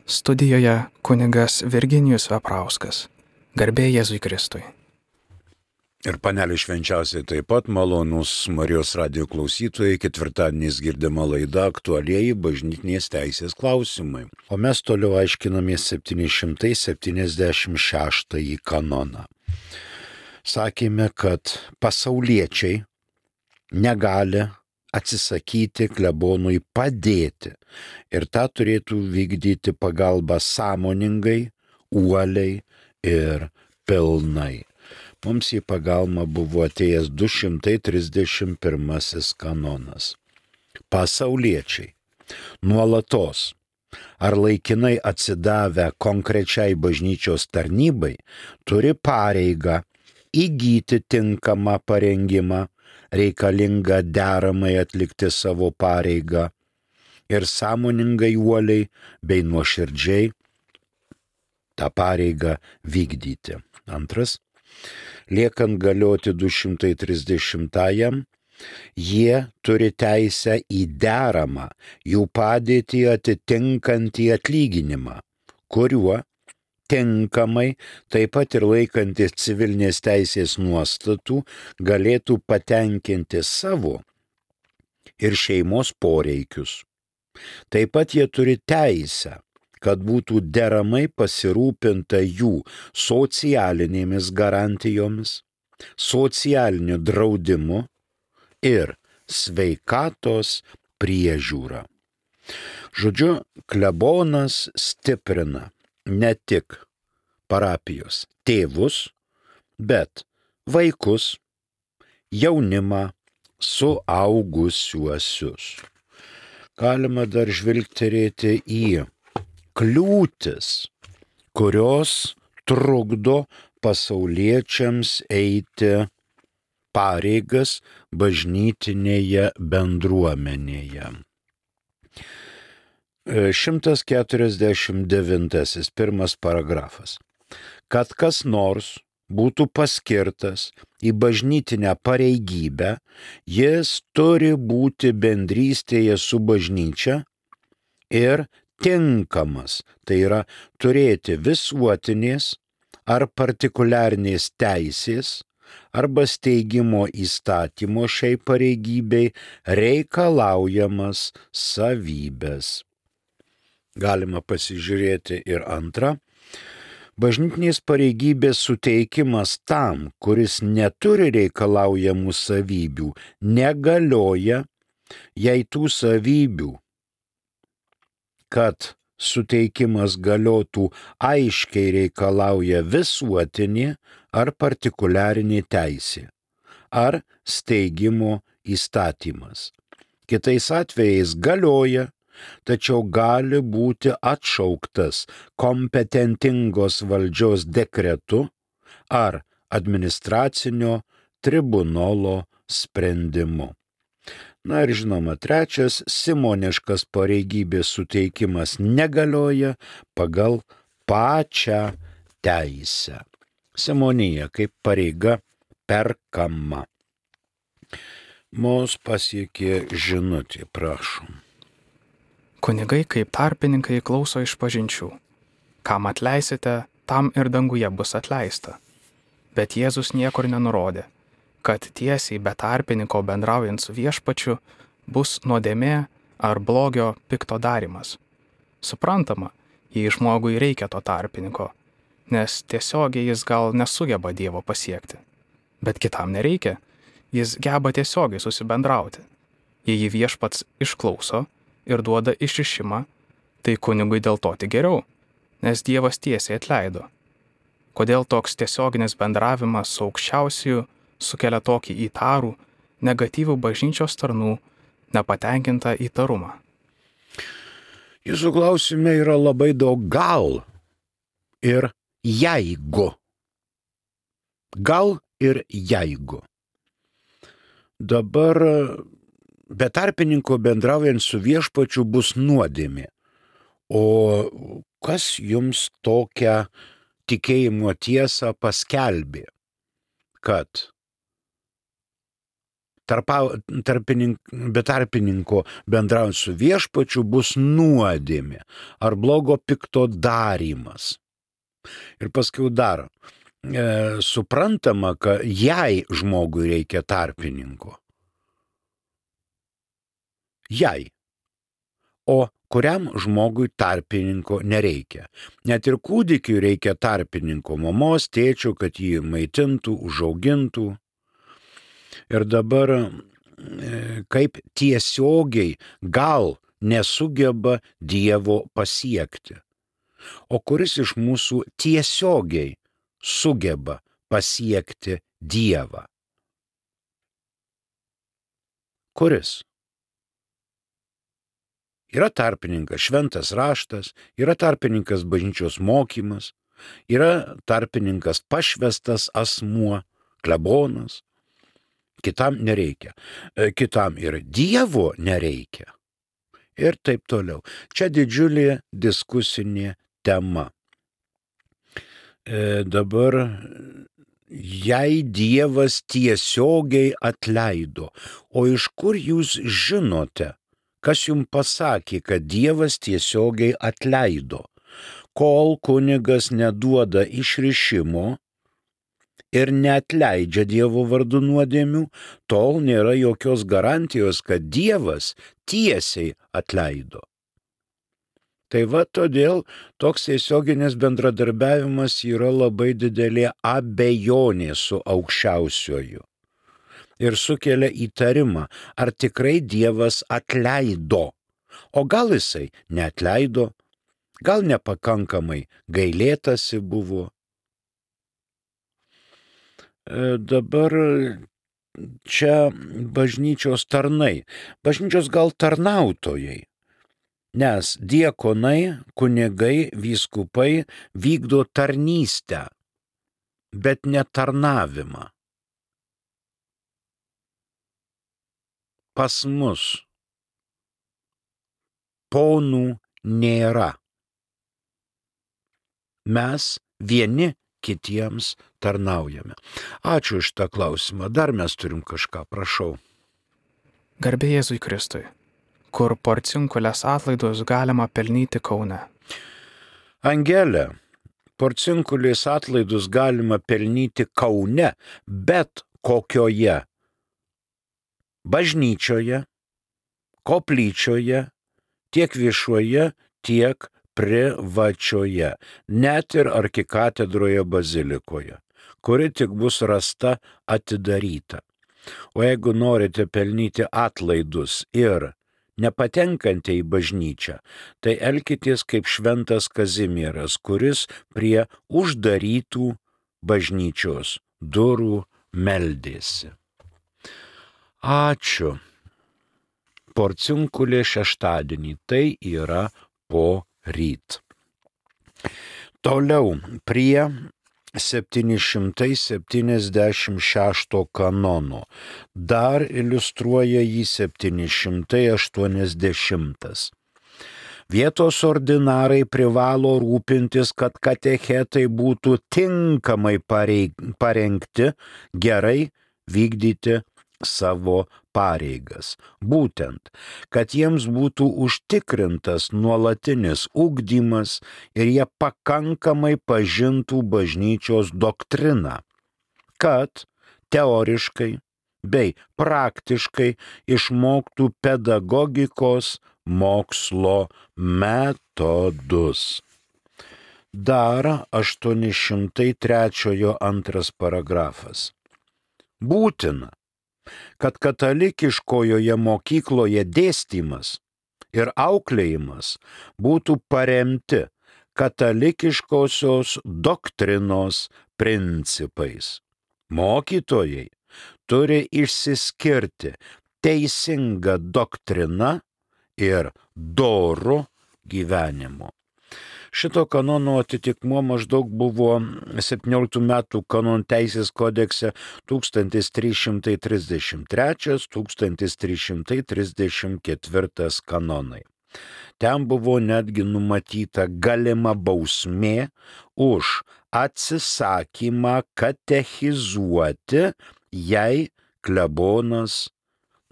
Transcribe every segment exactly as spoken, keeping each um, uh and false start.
Studijoje kunigas Virginijus Veprauskas. Garbė Jėzui Kristui. Ir panelė švenčiausiai taip pat malonus Marijos radijo klausytojai, ketvirtadieniais girdima laida aktualieji bažnytinės teisės klausimai. O mes toliau aiškinamės septyni šimtai septyniasdešimt šeštąjį kanoną. Sakėme, kad pasauliečiai negali atsisakyti klebonui padėti ir tą turėtų vykdyti pagalbą sąmoningai, uoliai ir pilnai. Mums į pagalbą buvo atėjęs du šimtai trisdešimt pirmasis kanonas. Pasauliečiai nuolatos ar laikinai atsidavę konkrečiai bažnyčios tarnybai turi pareigą įgyti tinkamą parengimą, reikalingą deramai atlikti savo pareigą ir sąmoningai, uoliai bei nuoširdžiai tą pareigą vykdyti. Antras, liekant galioti du šimtai trisdešimtajam, jie turi teisę į deramą jų padėtį atitinkantį atlyginimą, kuriuo tinkamai, taip pat ir laikantis civilinės teisės nuostatų, galėtų patenkinti savo ir šeimos poreikius. Taip pat jie turi teisę, kad būtų deramai pasirūpinta jų socialinėmis garantijomis, socialiniu draudimu ir sveikatos priežiūra. Žodžiu, klebonas stiprina ne tik parapijos tėvus, bet vaikus, jaunimą, suaugusiuosius. Galima dar žvilgterėti į kliūtis, kurios trukdo pasauliečiams eiti pareigas bažnytinėje bendruomenėje. šimtas keturiasdešimt devintasis pirmas paragrafas. Kad kas nors būtų paskirtas į bažnytinę pareigybę, jis turi būti bendrystėje su bažnyčia ir tinkamas, tai yra turėti visuotinės ar partikuliarnės teisės arba steigimo įstatymo šiai pareigybei reikalaujamas savybės. Galima pasižiūrėti ir antrą. Bažnytinės pareigybės suteikimas tam, kuris neturi reikalaujamų savybių, negalioja, jei tų savybių, kad suteikimas galiotų, aiškiai reikalauja visuotinė ar partikuliarinė teisė, ar steigimo įstatymas. Kitais atvejais galioja, tačiau gali būti atšauktas kompetentingos valdžios dekretu ar administracinio tribunolo sprendimu. Na ir žinoma, trečias, simoniškas pareigybės suteikimas negalioja pagal pačią teisę. Simonija kaip pareiga perkama. Mus pasiekė žinutė, prašom. Kunigai kaip tarpininkai klauso išpažinčių. Kam atleisite, tam ir danguje bus atleista. Bet Jėzus niekur nenurodė, kad tiesiai be tarpininko bendraujant su viešpačiu bus nuodėmė ar blogio pikto darymas. Suprantama, jei žmogui reikia to tarpininko, nes tiesiogiai jis gal nesugeba Dievo pasiekti. Bet kitam nereikia, jis geba tiesiogiai susibendrauti. Jei jį viešpats išklauso ir duoda išrišimą, tai kunigui dėl to tik geriau, nes Dievas tiesiai atleido. Kodėl toks tiesioginis bendravimas su aukščiausiu sukelia tokį įtarų, negatyvų bažnyčios tarnų, nepatenkintą įtarumą? Jūsų klausime yra labai daug gal ir jeigu. Gal ir jeigu. Dabar be tarpininko bendraujant su viešpačiu bus nuodėmė. O kas jums tokią tikėjimo tiesą paskelbė, kad tarpa, tarpinink, be tarpininko bendraujant su viešpačiu bus nuodėmė ar blogo pikto darymas. Ir paskui dar e, suprantama, kad jei žmogui reikia tarpininko. Jei. O kuriam žmogui tarpininko nereikia. Net ir kūdikiui reikia tarpininko, mamos, tėčio, kad jį maitintų, užaugintų. Ir dabar kaip tiesiogiai gal nesugeba Dievo pasiekti. O kuris iš mūsų tiesiogiai sugeba pasiekti Dievą? Kuris? Yra tarpininkas šventas raštas, yra tarpininkas bažnyčios mokymas, yra tarpininkas pašvestas asmuo, klebonas. Kitam nereikia. Kitam ir Dievo nereikia. Ir taip toliau. Čia didžiulė diskusinė tema. E, dabar, jei Dievas tiesiogiai atleido, o iš kur jūs žinote, kas jums pasakė, kad Dievas tiesiogiai atleido? Kol kunigas neduoda išrišimo ir neatleidžia Dievo vardu nuodėmių, tol nėra jokios garantijos, kad Dievas tiesiai atleido. Tai va todėl toks tiesioginis bendradarbiavimas yra labai didelė abejonė su aukščiausiuoju. Ir sukelia įtarimą, ar tikrai Dievas atleido. O gal jisai neatleido, gal nepakankamai gailėtasi buvo. E, dabar čia bažnyčios tarnai, bažnyčios gal tarnautojai, nes diakonai, kunigai, vyskupai vykdo tarnystę, bet ne tarnavimą. Pas mus ponų nėra. Mes vieni kitiems tarnaujame. Ačiū už tą klausimą. Dar mes turim kažką, prašau. Garbė Jėzui Kristui. Kur porcinkulės atlaidus galima pelnyti Kaune? Angelė, porcinkulės atlaidus galima pelnyti Kaune, bet kokioje? Bažnyčioje, koplyčioje, tiek viešoje, tiek privačioje, net ir arkikatedroje bazilikoje, kuri tik bus rasta atidaryta. O jeigu norite pelnyti atlaidus ir nepatenkate į bažnyčią, tai elkitės kaip šventas Kazimieras, kuris prie uždarytų bažnyčios durų meldėsi. Ačiū. Porcinkulė šeštadienį, tai yra po ryt. Toliau prie septyni šimtai septyniasdešimt šešto kanono. Dar iliustruoja jį septyni šimtai aštuoniasdešimtas. Vietos ordinarai privalo rūpintis, kad katechetai būtų tinkamai parengti, gerai vykdyti savo pareigas. Būtent, kad jiems būtų užtikrintas nuolatinis ugdymas ir jie pakankamai pažintų bažnyčios doktriną, kad teoriškai bei praktiškai išmoktų pedagogikos mokslo metodus. Dar aštuoni šimtai trečiojo antras paragrafas. Būtina, kad katalikiškojoje mokykloje dėstymas ir auklėjimas būtų paremti katalikiškosios doktrinos principais. Mokytojai turi išsiskirti teisinga doktrina ir doru gyvenimu. Šito kanono atitikmuo maždaug buvo septynioliktų metų kanonų teisės kodekse tūkstantis trys šimtai trisdešimt trečias - tūkstantis trys šimtai trisdešimt ketvirtas kanonai. Ten buvo netgi numatyta galima bausmė už atsisakymą katechizuoti, jei klebonas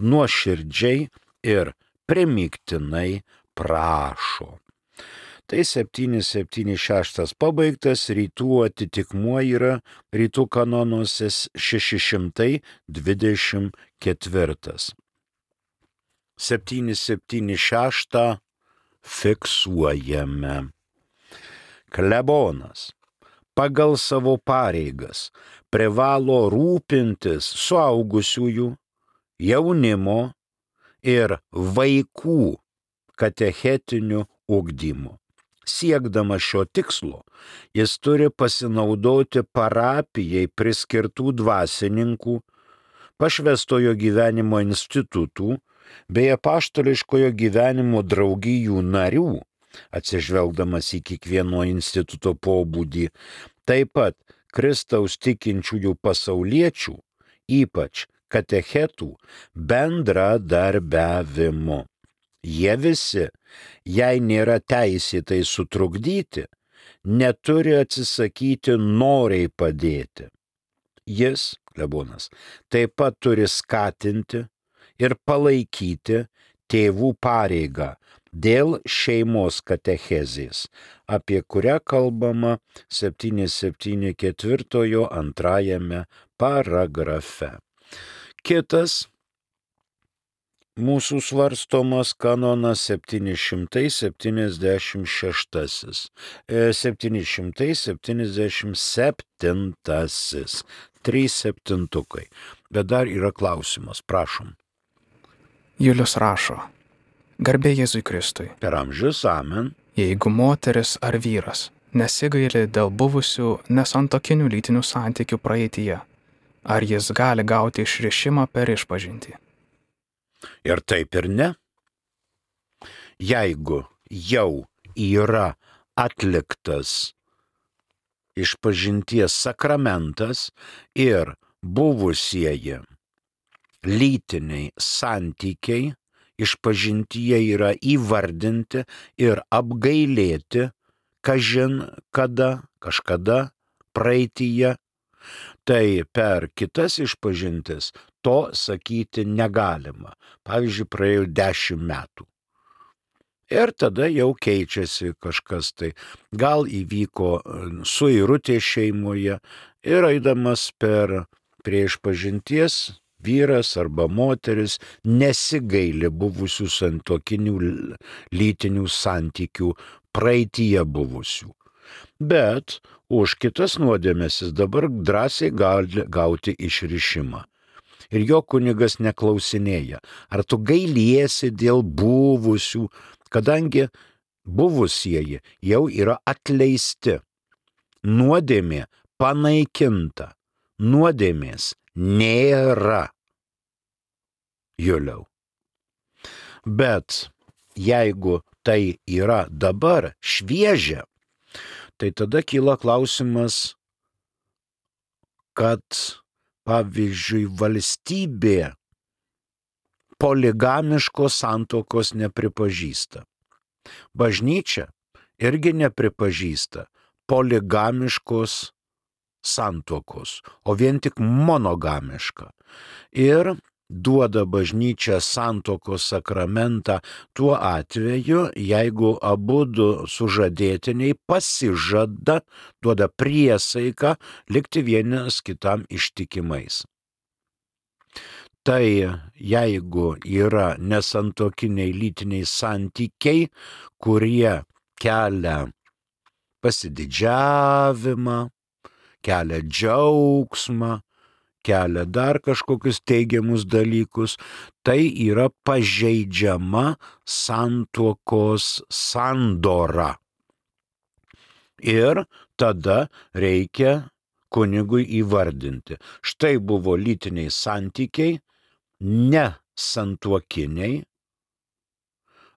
nuoširdžiai ir primygtinai prašo. Tai septyni septyni šeši pabaigtas, rytų atitikmuo yra rytų kanonuose šeši šimtai dvidešimt keturi. septyni septyni šeši fiksuojame. Klebonas pagal savo pareigas privalo rūpintis suaugusiųjų, jaunimo ir vaikų katechetiniu ugdymu. Siekdamas šio tikslo, jis turi pasinaudoti parapijai priskirtų dvasininkų, pašvęstojo gyvenimo institutų bei apaštališkojo gyvenimo draugijų narių, atsižvelgdamas į kiekvieno instituto pobūdį, taip pat Kristaus tikinčiųjų pasauliečių, ypač katechetų, bendradarbiavimu. Jie visi, jei nėra teisėtai sutrukdyti, neturi atsisakyti noriai padėti. Jis, klebonas, taip pat turi skatinti ir palaikyti tėvų pareigą dėl šeimos katechezės, apie kurią kalbama septyni septyni keturi antrajame paragrafe. Kitas mūsų svarstomas kanonas septyni šimtai septyniasdešimt šeštasis. septyni šimtai septyniasdešimt septintasis. Trys septintukai. Bet dar yra klausimas, prašom. Julius rašo. Garbė Jėzui Kristui. Per amžius, amen. Jeigu moteris ar vyras nesigaili dėl buvusių nesantokinių lytinių santykių praeityje, ar jis gali gauti išrišimą per išpažintį? Ir taip ir ne. Jeigu jau yra atliktas išpažinties sakramentas ir buvusieji lytiniai santykiai išpažintyje yra įvardinti ir apgailėti, kažin kada, kažkada praeityje, tai per kitas išpažintis to sakyti negalima. Pavyzdžiui, praėjo dešimt metų. Ir tada jau keičiasi kažkas tai. Gal įvyko suirutė šeimoje ir eidamas per prie išpažinties vyras arba moteris nesigaili buvusių santuokinių lytinių santykių praeityje buvusių. Bet už kitas nuodėmes jis dabar drąsiai gali gauti išrišimą. Ir jo kunigas neklausinėja, ar tu gailiesi dėl buvusių, kadangi buvusieji jau yra atleisti. Nuodėmė panaikinta, nuodėmės nėra. Juliau. Bet jeigu tai yra dabar šviežia, tai tada kyla klausimas, kad pavyzdžiui, valstybė poligamiškos santuokos nepripažįsta. Bažnyčia irgi nepripažįsta poligamiškos santuokos, o vien tik monogamišką. Ir duoda bažnyčia santuokos sakramentą tuo atveju, jeigu abudu sužadėtiniai pasižada, duoda priesaiką likti vienas kitam ištikimais. Tai jeigu yra nesantuokiniai lytiniai santykiai, kurie kelia pasididžiavimą, kelia džiaugsmą, kelia dar kažkokius teigiamus dalykus, tai yra pažeidžiama santuokos sandora. Ir tada reikia kunigui įvardinti. Štai buvo lytiniai santykiai, ne santuokiniai.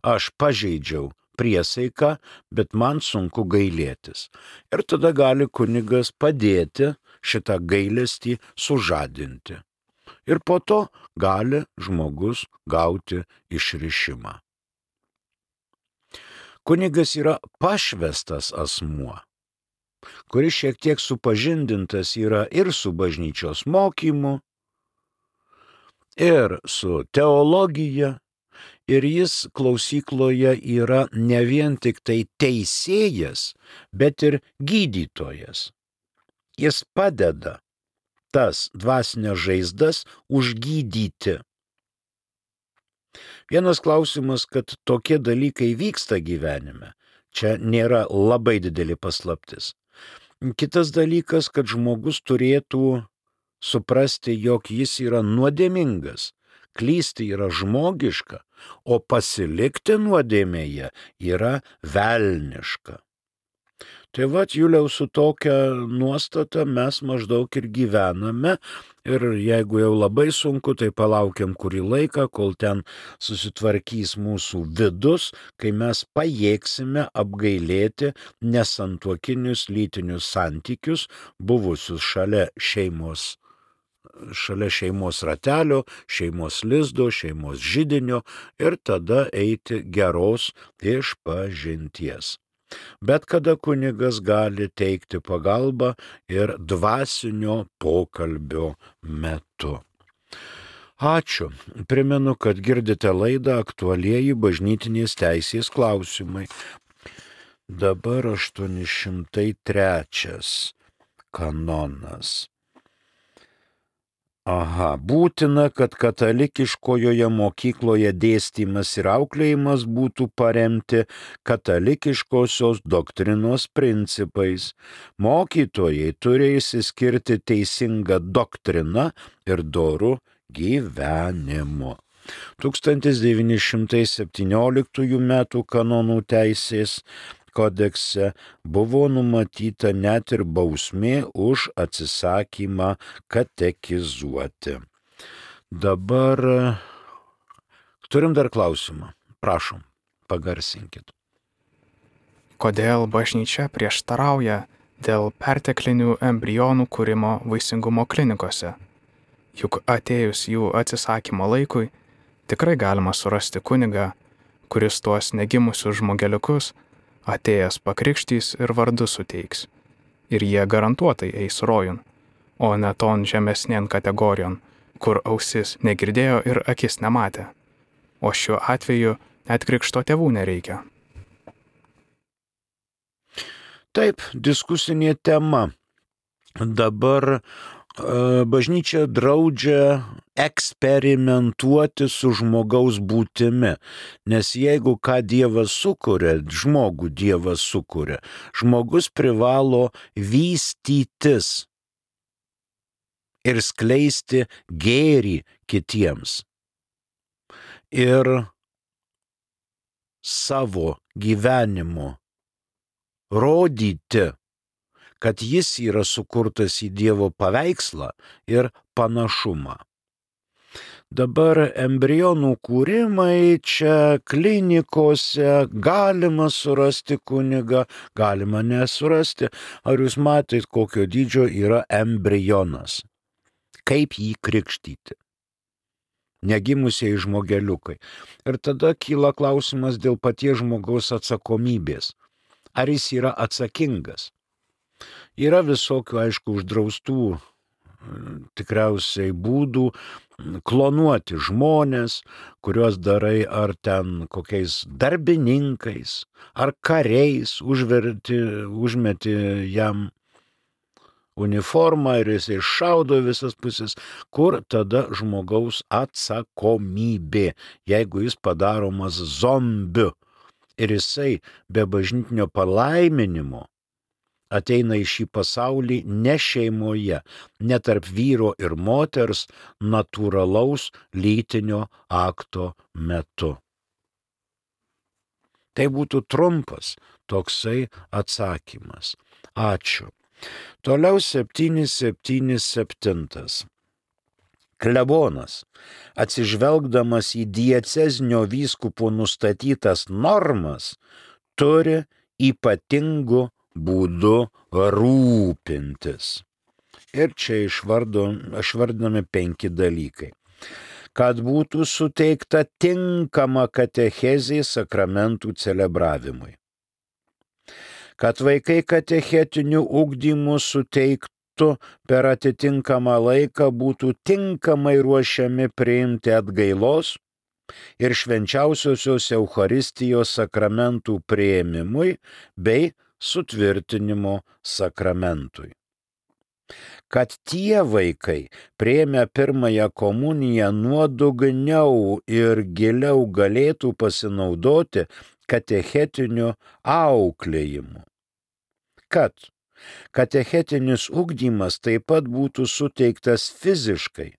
Aš pažeidžiau priesaiką, bet man sunku gailėtis. Ir tada gali kunigas padėti šitą gailestį sužadinti. Ir po to gali žmogus gauti išrišimą. Kunigas yra pašvestas asmuo, kuris šiek tiek supažindintas yra ir su bažnyčios mokymu, ir su teologija, ir jis klausykloje yra ne vien tik tai teisėjas, bet ir gydytojas. Jis padeda tas dvasinės žaizdas užgydyti. Vienas klausimas, kad tokie dalykai vyksta gyvenime, čia nėra labai didelė paslaptis. Kitas dalykas, kad žmogus turėtų suprasti, jog jis yra nuodėmingas, klysti yra žmogiška, o pasilikti nuodėmėje yra velniška. Tai vat, Juliau, su tokia nuostata mes maždaug ir gyvename ir jeigu jau labai sunku, tai palaukiam kurį laiką, kol ten susitvarkys mūsų vidus, kai mes pajėgsime apgailėti nesantuokinius lytinius santykius, buvusius šalia šeimos, šalia šeimos ratelio, šeimos lizdo, šeimos židinio ir tada eiti geros išpažinties. Bet kada kunigas gali teikti pagalbą ir dvasinio pokalbio metu. Ačiū. Primenu, kad girdite laidą Aktualieji bažnytinės teisės klausimai. Dabar aštuoni šimtai trečias kanonas. Aha, būtina, kad katalikiškojoje mokykloje dėstymas ir auklėjimas būtų paremti katalikiškosios doktrinos principais. Mokytojai turi išsiskirti teisingą doktriną ir dorų gyvenimu. tūkstantis devyni šimtai septynioliktųjų metų kanonų teisės kodekse buvo numatyta net ir bausmė už atsisakymą katekizuoti. Dabar turim dar klausimą. Prašom, pagarsinkit. Kodėl bažnyčia prieštarauja dėl perteklinių embrionų kūrimo vaisingumo klinikose? Juk atėjus jų atsisakymo laikui, tikrai galima surasti kunigą, kuris tuos negimusius žmogeliukus atėjęs pakrikštys ir vardu suteiks. Ir jie garantuotai eis rojun, o ne ton žemesnien kategorijon, kur ausis negirdėjo ir akis nematė. O šiuo atveju net krikšto tėvų nereikia. Taip, diskusinė tema. Dabar bažnyčia draudžia eksperimentuoti su žmogaus būtimi, nes jeigu ką Dievas sukuria, žmogų Dievas sukuria, žmogus privalo vystytis ir skleisti gėrį kitiems. Ir savo gyvenimu rodyti, kad jis yra sukurtas į Dievo paveikslą ir panašumą. Dabar embrionų kūrimai čia klinikose, galima surasti kunigą, galima nesurasti. Ar jūs matėt, kokio dydžio yra embrionas? Kaip jį krikštyti? Negimusiai žmogeliukai. Ir tada kyla klausimas dėl paties žmogaus atsakomybės. Ar jis yra atsakingas? Yra visokių, aišku, uždraustų tikriausiai būdų klonuoti žmonės, kuriuos darai ar ten kokiais darbininkais, ar kariais, užverti, užmeti jam uniformą ir jisai šaudo visas pusės, kur tada žmogaus atsakomybė, jeigu jis padaromas zombiu ir jisai be bažnytinio palaiminimo ateina į šį pasaulį ne šeimoje, ne tarp vyro ir moters natūralaus lytinio akto metu. Tai būtų trumpas toksai atsakymas. Ačiū. Toliau septyni septyni septyni. Klebonas, atsižvelgdamas į diecezinio vyskupo nustatytas normas, turi ypatingų būdu rūpintis. Ir čia išvardinami penki dalykai. Kad būtų suteikta tinkama katechezė sakramentų celebravimui. Kad vaikai katechetiniu ugdymu suteik, metu per atitinkamą laiką būtų tinkamai ruošiami priimti atgailos ir švenčiausiosios Eucharistijos sakramentų priėmimui bei sutvirtinimo sakramentui. Kad tie vaikai priėmę pirmąją komuniją nuodugniau ir giliau galėtų pasinaudoti katechetiniu auklėjimu. Kad katechetinis ugdymas taip pat būtų suteiktas fiziškai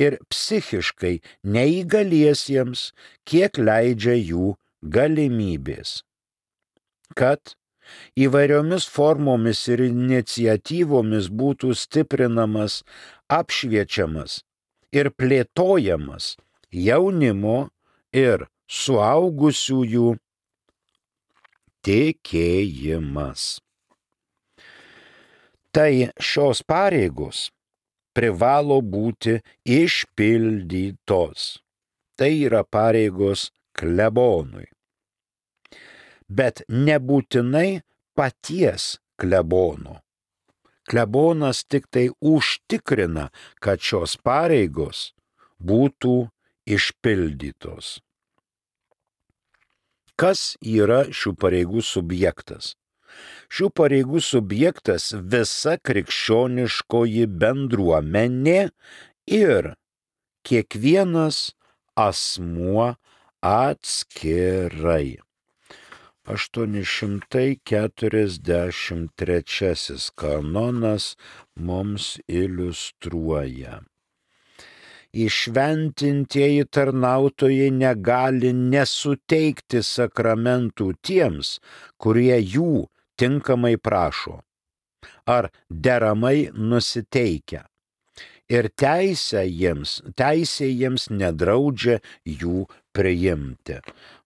ir psichiškai neįgaliesiems, kiek leidžia jų galimybės. Kad įvairiomis formomis ir iniciatyvomis būtų stiprinamas, apšviečiamas ir plėtojamas jaunimo ir suaugusiųjų tikėjimas. Tai šios pareigos privalo būti išpildytos. Tai yra pareigos klebonui. Bet nebūtinai paties klebono. Klebonas tik tai užtikrina, kad šios pareigos būtų išpildytos. Kas yra šių pareigų subjektas? Šių pareigų subjektas visa krikščioniškoji bendruomenė ir kiekvienas asmuo atskirai. aštuoni šimtai keturiasdešimt trečiasis kanonas mums iliustruoja. Įšventintieji tarnautojai negali nesuteikti sakramentų tiems, kurie jų tinkamai prašo ar deramai nusiteikia. Ir teisė jiems, teisė jiems nedraudžia jų priimti.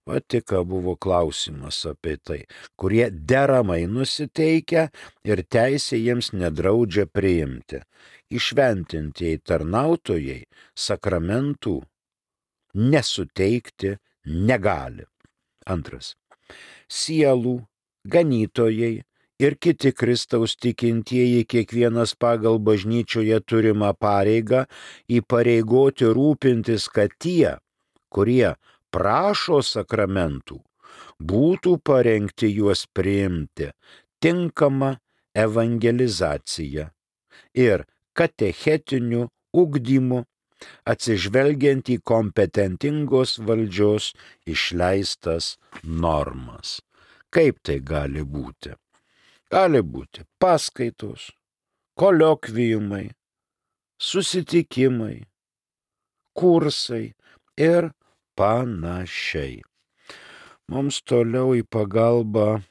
Va tik buvo klausimas apie tai, kurie deramai nusiteikia ir teisė jiems nedraudžia priimti. Įšventintieji tarnautojai sakramentų nesuteikti negali. Antras. Sielų, ganytojai ir kiti Kristaus tikintieji kiekvienas pagal bažnyčioje turimą pareigą įpareigoti rūpintis, kad tie, kurie prašo sakramentų, būtų parengti juos priimti tinkamą evangelizaciją ir katechetiniu ugdymu, atsižvelgiant į kompetentingos valdžios išleistas normas. Kaip tai gali būti? Gali būti paskaitos, koliokviumai, susitikimai, kursai ir panašiai. Mums toliau į pagalbą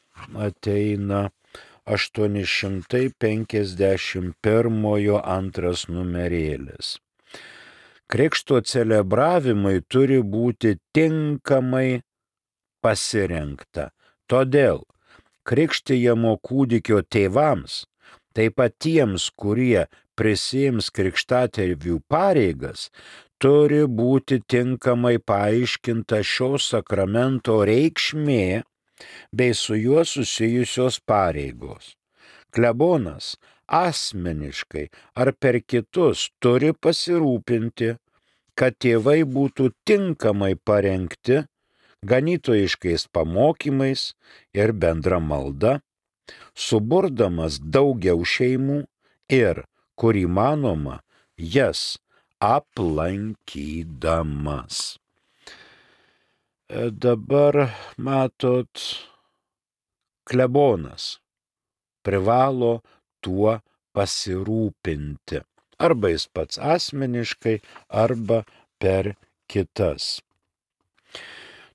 ateina aštuoni šimtai penkiasdešimt pirmojo antras numerėlis. Krikšto celebravimai turi būti tinkamai pasirengta. Todėl krikštijamo kūdikio tėvams, taip pat tiems, kurie prisiims krikštatėvių pareigas, turi būti tinkamai paaiškinta šio sakramento reikšmė bei su juo susijusios pareigos. Klebonas asmeniškai ar per kitus turi pasirūpinti, kad tėvai būtų tinkamai parengti ganytojiškais pamokymais ir bendra malda, suburdamas daugiau šeimų ir, kur įmanoma, jas aplankydamas. Dabar matot, klebonas privalo tuo pasirūpinti. Arba jis pats asmeniškai, arba per kitas.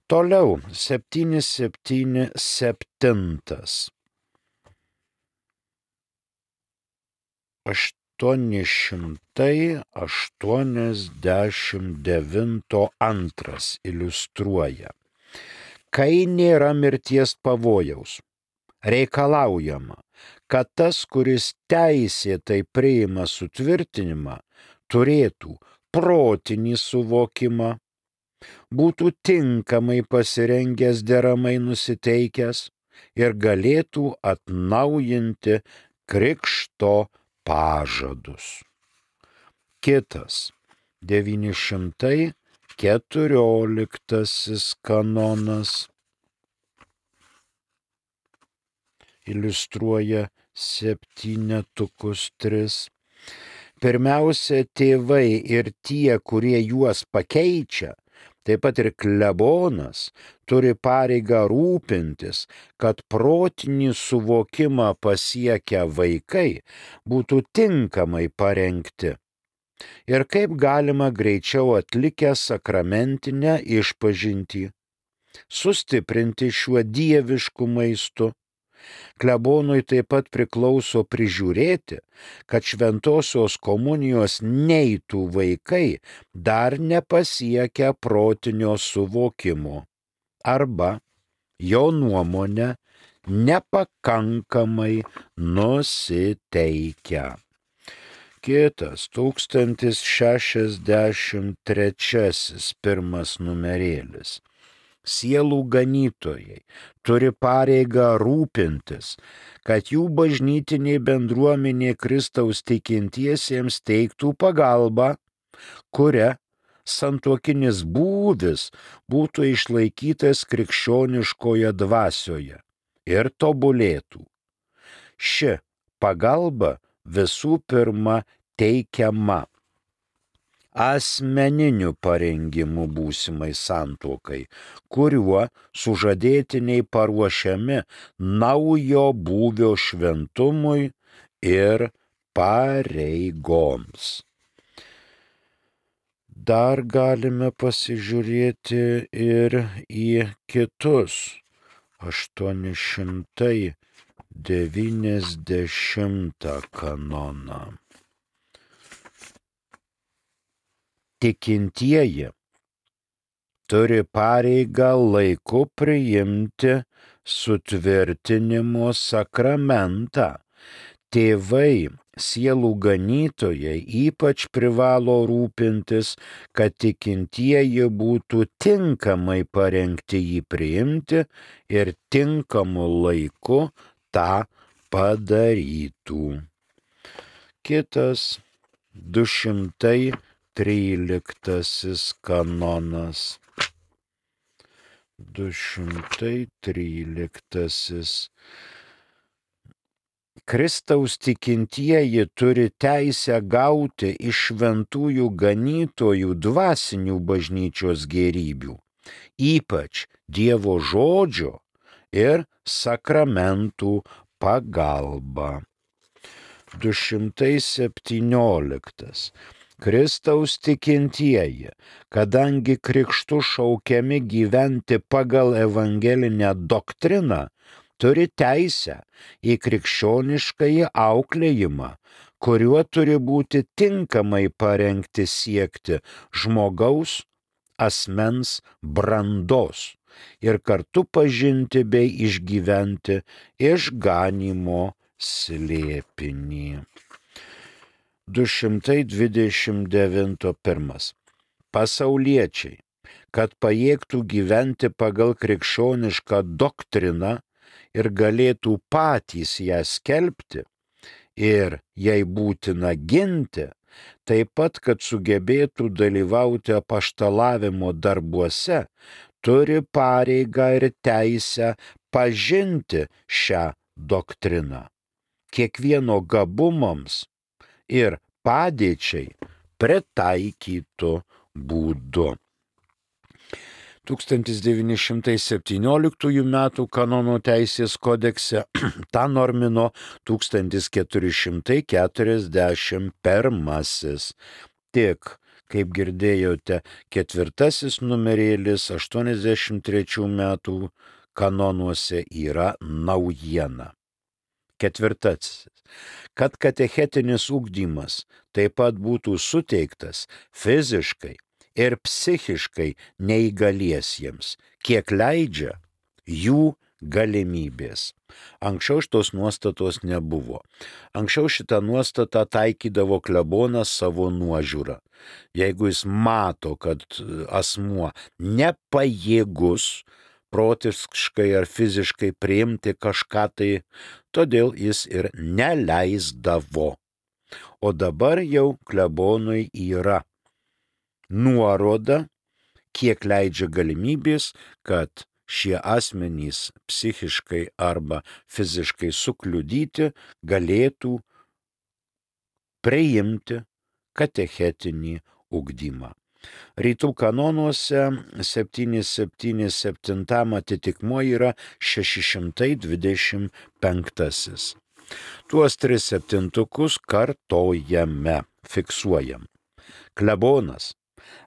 Toliau, septyni septyni septintas. aštuoni šimtai aštuoniasdešimt devinto antras iliustruoja. Kai nėra mirties pavojaus, reikalaujama, kad tas, kuris teisėtai priima sutvirtinimą, turėtų protinį suvokimą, būtų tinkamai pasirengęs deramai nusiteikęs ir galėtų atnaujinti krikšto pažadus. Kitas devyni šimtai keturioliktasis kanonas iliustruoja septynetukus tris. Pirmiausia, tėvai ir tie, kurie juos pakeičia, taip pat ir klebonas, turi pareigą rūpintis, kad protinį suvokimą pasiekę vaikai būtų tinkamai parengti ir kaip galima greičiau atlikę sakramentinę išpažintį, sustiprinti šiuo dievišku maistu. Klebonui taip pat priklauso prižiūrėti, kad šventosios komunijos neitų vaikai dar nepasiekę protinio suvokimo arba, jo nuomone, nepakankamai nusiteikę. Kitas tūkstantis šešiasdešimt trečiasis pirmas numerėlis. Sielų ganytojai turi pareigą rūpintis, kad jų bažnytinė bendruomenė Kristaus tikintiesiems teiktų pagalbą, kuria santuokinis būvis būtų išlaikytas krikščioniškoje dvasioje ir tobulėtų. Ši pagalba visų pirma teikiama asmeniniu parengimu būsimai santuokai, kuriuo sužadėtiniai paruošiami naujo būvio šventumui ir pareigoms. Dar galime pasižiūrėti ir į kitus aštuoni šimtai devyniasdešimtą kanoną. Tikintieji turi pareigą laiku priimti sutvirtinimo sakramentą. Tėvai, sielų ganytojai ypač privalo rūpintis, kad tikintieji būtų tinkamai parengti jį priimti ir tinkamu laiku tą padarytų. Kitas du šimtai tryliktasis kanonas. du šimtai tryliktasis. Kristaus tikintieji turi teisę gauti iš šventųjų ganytojų dvasinių bažnyčios gėrybių, ypač Dievo žodžio ir sakramentų pagalba. du šimtai septynioliktas. Kristaus tikintieji, kadangi krikštu šaukiami gyventi pagal evangelinę doktriną, turi teisę į krikščioniškąjį auklėjimą, kuriuo turi būti tinkamai parengti siekti žmogaus asmens brandos ir kartu pažinti bei išgyventi išganymo slėpinį. du šimtai dvidešimt devintas pirmas. Pasauliečiai, kad pajėgtų gyventi pagal krikščionišką doktriną ir galėtų patys ją skelbti ir jai būtina ginti, taip pat, kad sugebėtų dalyvauti apaštalavimo darbuose, turi pareigą ir teisę pažinti šią doktriną. Kiekvieno gabumams ir padėčiai pritaikytų būdu. tūkstantis devyni šimtai septynioliktųjų metų kanono teisės kodekse tą normino tūkstantis keturi šimtai keturiasdešimt pirmasis. Tik, kaip girdėjote, ketvirtasis numerėlis aštuoniasdešimt trečių metų kanonuose yra naujiena. Ketvirtasis. Kad katechetinis ugdymas taip pat būtų suteiktas fiziškai ir psichiškai neįgaliesiems, kiek leidžia jų galimybės. Anksčiau šitos nuostatos nebuvo. Anksčiau šitą nuostatą taikydavo klebonas savo nuožiūrą. Jeigu jis mato, kad asmuo nepajėgus protiškai ar fiziškai priimti kažką, tai todėl jis ir neleisdavo. O dabar jau klebonui yra nuoroda, kiek leidžia galimybės, kad šie asmenys psichiškai arba fiziškai sukliudyti galėtų priimti katechetinį ugdymą. Rytų kanonuose septyni septyni septyni atitikmuo yra šeši šimtai dvidešimt penktasis. Tuos tris septintukus kartojame, fiksuojam. Klebonas,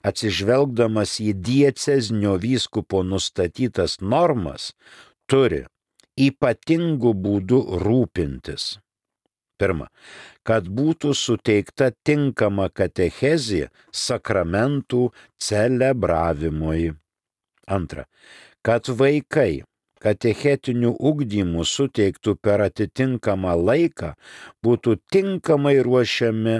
atsižvelgdamas į diecezinio vyskupo nustatytas normas, turi ypatingų būdų rūpintis. Pirma, kad būtų suteikta tinkama katechezė sakramentų celebravimui. Antra, kad vaikai katechetinių ugdymų suteiktų per atitinkamą laiką būtų tinkamai ruošiami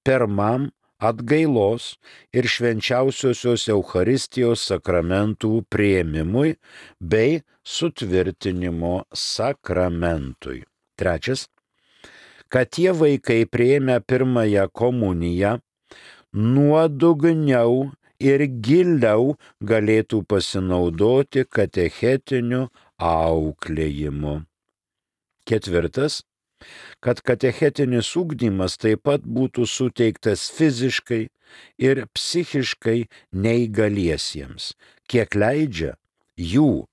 pirmam atgailos ir švenčiausiosios Eucharistijos sakramentų priėmimui bei sutvirtinimo sakramentui. Trečias, kad tie vaikai priėmę pirmąją komuniją nuodugniau ir giliau galėtų pasinaudoti katechetiniu auklėjimu. Ketvirtas, kad katechetinis ugdymas taip pat būtų suteiktas fiziškai ir psichiškai neįgaliesiems, kiek leidžia jų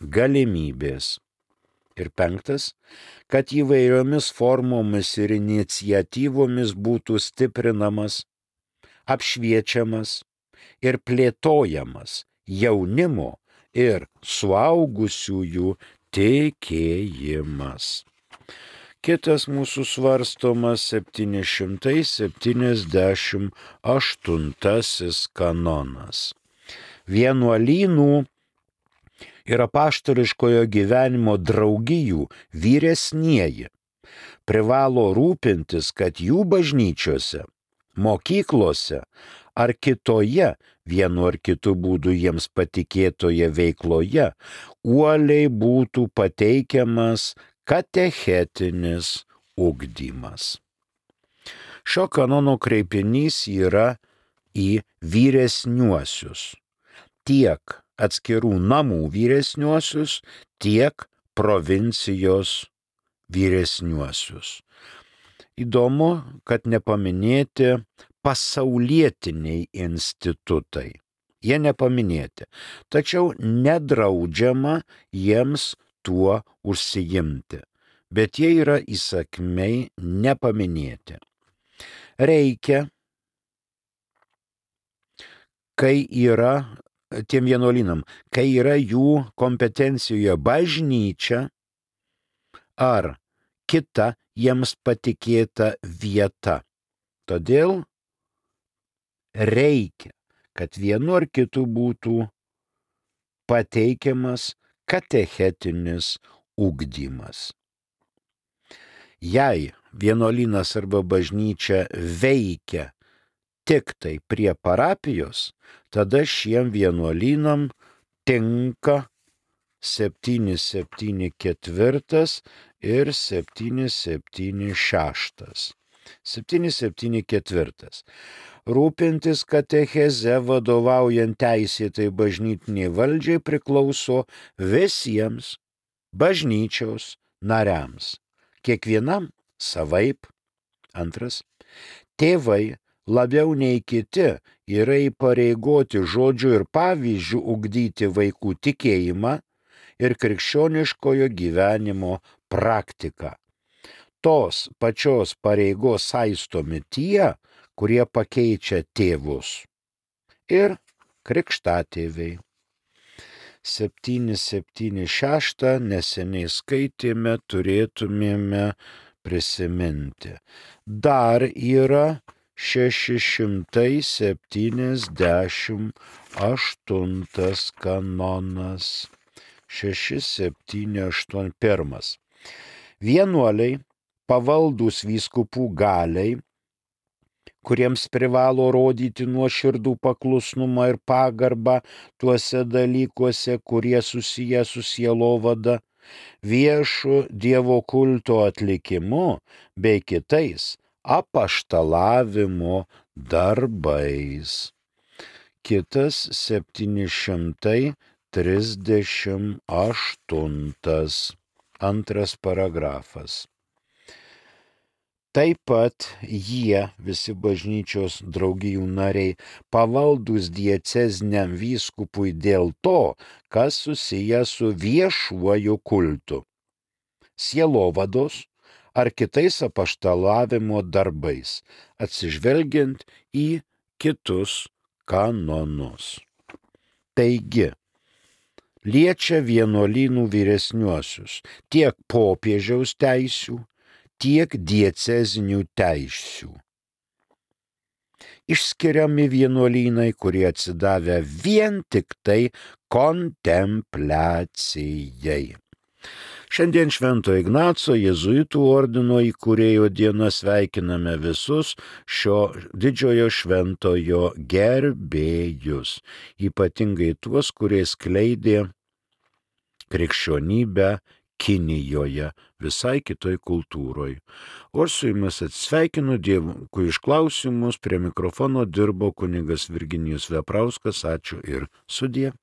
galimybės. Ir penktas, kad įvairiomis formomis ir iniciatyvomis būtų stiprinamas, apšviečiamas ir plėtojamas jaunimo ir suaugusiųjų tikėjimas. Kitas mūsų svarstomas septyni šimtai septyniasdešimt aštuntasis kanonas. Vienuolynų ir apaštališkojo gyvenimo draugijų vyresnieji privalo rūpintis, kad jų bažnyčiose, mokyklose ar kitoje vienu ar kitu būdu jiems patikėtoje veikloje uoliai būtų pateikiamas katechetinis ugdymas. Šio kanono kreipinys yra į vyresniuosius, tiek atskirų namų vyresniuosius, tiek provincijos vyresniuosius. Įdomu, kad nepaminėti pasaulietiniai institutai. Jie nepaminėti, tačiau nedraudžiama jiems tuo užsiimti, bet jie yra įsakmiai nepaminėti. Reikia, kai yra tiem vienuolynam, kai yra jų kompetencijoje bažnyčia ar kita jiems patikėta vieta. Todėl reikia, kad vienu ar kitu būtų pateikiamas katechetinis ugdymas. Jei vienuolynas arba bažnyčia veikia tik tai prie parapijos, tada šiem vienuolynam tinka septyni septyni keturi ir septyni septyni šeši. septyni septyni keturi. Rūpintis katecheze vadovaujant teisėtai bažnytiniai valdžiai priklauso visiems bažnyčios nariams. Kiekvienam savaip. Antras, tėvai labiau nei kiti yra įpareigoti žodžiu ir pavyzdžiu ugdyti vaikų tikėjimą ir krikščioniškojo gyvenimo praktiką. Tos pačios pareigos saistomi tie, kurie pakeičia tėvus ir krikštatėviai. septyni septyni šeši neseniai skaitėme, turėtumėme prisiminti. Dar yra šeši šimtai septyniasdešimt aštuntas kanonas. šeši septyni aštuoni. Pirmas. Vienuoliai pavaldūs vyskupų galiai, kuriems privalo rodyti nuoširdų paklusnumą ir pagarbą tuose dalykuose, kurie susiję su sielovada, viešu Dievo kulto atlikimu bei kitais apaštalavimo darbais. Kitas septyni šimtai trisdešimt aštuntas antras paragrafas. Taip pat jie, visi bažnyčios draugijų nariai, pavaldūs dieceziniam vyskupui dėl to, kas susiję su viešuoju kultu, sielovados ar kitais apaštalavimo darbais, atsižvelgiant į kitus kanonus. Taigi, liečia vienuolynų vyresniuosius tiek popiežiaus teisių, tiek diecezinių teisių. Išskiriami vienuolynai, kurie atsidavę vien tik tai kontempliacijai. Šiandien Švento Ignaco jėzuitų ordino įkūrėjo dieną sveikiname visus šio didžiojo šventojo gerbėjus, ypatingai tuos, kurie skleidė krikščionybę Kinijoje, visai kitoj kultūroj. O aš su jumis atsisveikinu, Dievui iš klausimus, prie mikrofono dirbo kunigas Virginijus Veprauskas, ačiū ir sudie.